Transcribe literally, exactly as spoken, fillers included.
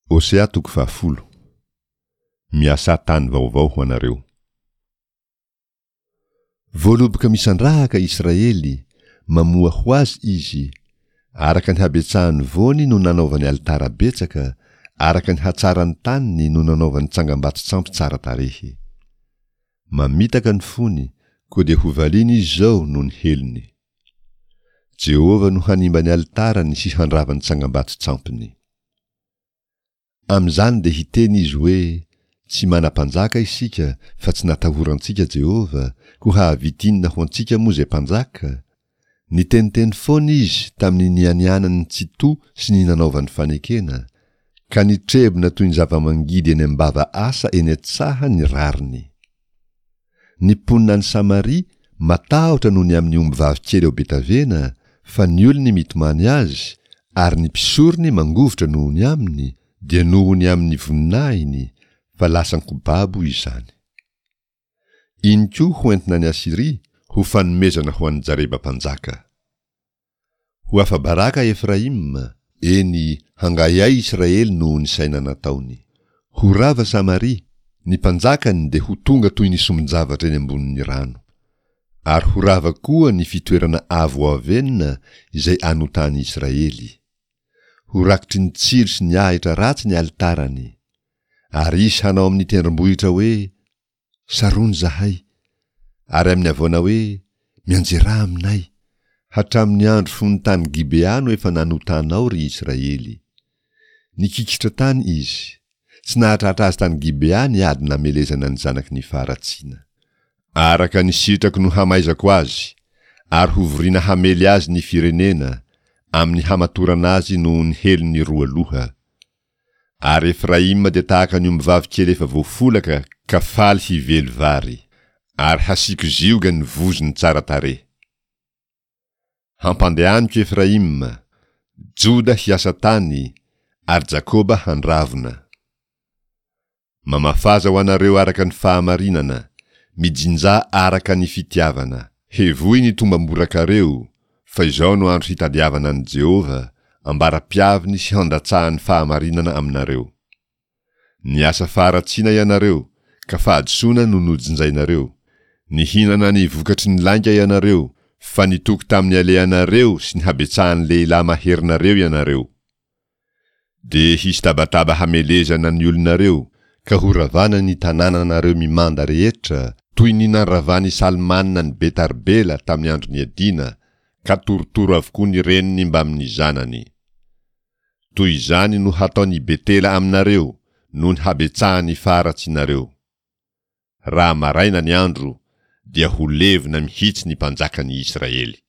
Hosea toko fahafolo. Miasà tany vaovao ho anareo. Voaloboka misandrahaka Israely, mamoa ho azy izy. Araka ny habetsahan'ny voany no nanaovany alitara betsaka, araka ny hatsaran'ny taniny no nanaovany tsangambato-tsampy tsara tarehy. Mamitaka ny fony, koa dia hovaliana izy izao noho ny helony. Jehovah no hanimba ny alitarany sy handrava ny tsangambato-tsampiny. Amin'izany dia hiteny izy hoe, Tsy manam-panjaka isika, fa tsy natahorantsika Jehovah, koa hahavita inona ho antsika moa izay mpanjaka? Niteniteny foana izy tamin'ny nianianany tsy to sy ny nanaovany fanekena, ka nitrebona toy ny zava-mangidy eny am-bava asa eny an-tsaha ny rariny. Ny mponina any Samaria matahotra noho ny amin'ny ombivavy kely ao Betavena, fa ny olony mitomany azy, ary ny mpisorony mangovitra noho ny aminy, dia noho ny amin'ny voninahiny, fa lasan-ko babo izany. Iny koa ho entina any Asyria, ho fanomezana ho an'i Jareba mpanjaka. Ho afa-baraka Efraima, eny, hangahiahy Israely noho ny saina nataony. Ho rava Samaria, ny mpanjakany dia ho tonga toy ny sombin-javatra eny ambonin'ny rano. Ary ho rava koa ny fitoerana avo Avena izay anotan'i Israely. Ho rakotry ny tsilo sy ny ahitra ratsy ny alitarany. Ary hisy hanao amin'ny tendrombohitra hoe, Sarony izahay, ary amin'ny havoana hoe, Mianjerà aminay. Hatramin'ny andro fony tany Gibea no efa nanotanao, ry Israely. Nikikitra tany izy. Tsy nahatratra azy tany Gibea ny ady namelezana ny zanaky ny faharatsiana. Araka ny sitrako no hamaizako azy, ary hovoriana hamely azy ny firenena, amin'ny hamatorana azy noho ny helony roa loha. Ary Efraima dia tahaka ny ombivavy kely efa voafolaka ka faly hively vary, ary hasiako zioga ny vozony tsara tarehy. Hampandehaniko Efraima, Joda hiasa tany, ary Jakoba handravona. Mamafaza ho anareo araka ny fahamarinana, mijinjà araka ny fitiavana. Hevoy ny tombam-borakareo, fa izao no andro hitadiavana an'i Jehovah, ambara-piaviny sy handatsahany fahamarinana aminareo. Niasa faharatsiana ianareo, ka fahadisoana no nojinjainareo. Nihinana ny vokatry ny lainga ianareo, fa nitoky tamin'ny alehanareo sy ny habetsahan'ny lehilahy maherinareo ianareo. Dia hisy tabataba hamelezana ny olonareo, ka horavana ny tanànanareo mimanda rehetra, toy ny nandravan'i Salmana an'i Bet-Arbela tamin'ny andro niadiana, ka torotoro avokoa ny reniny mbamin'ny zanany. Toy izany no hataon'i Betela aminareo, noho ny habetsahan'ny faharatsianareo. Raha maraina ny andro, dia ho levona mihitsy ny mpanjakan'i Israely.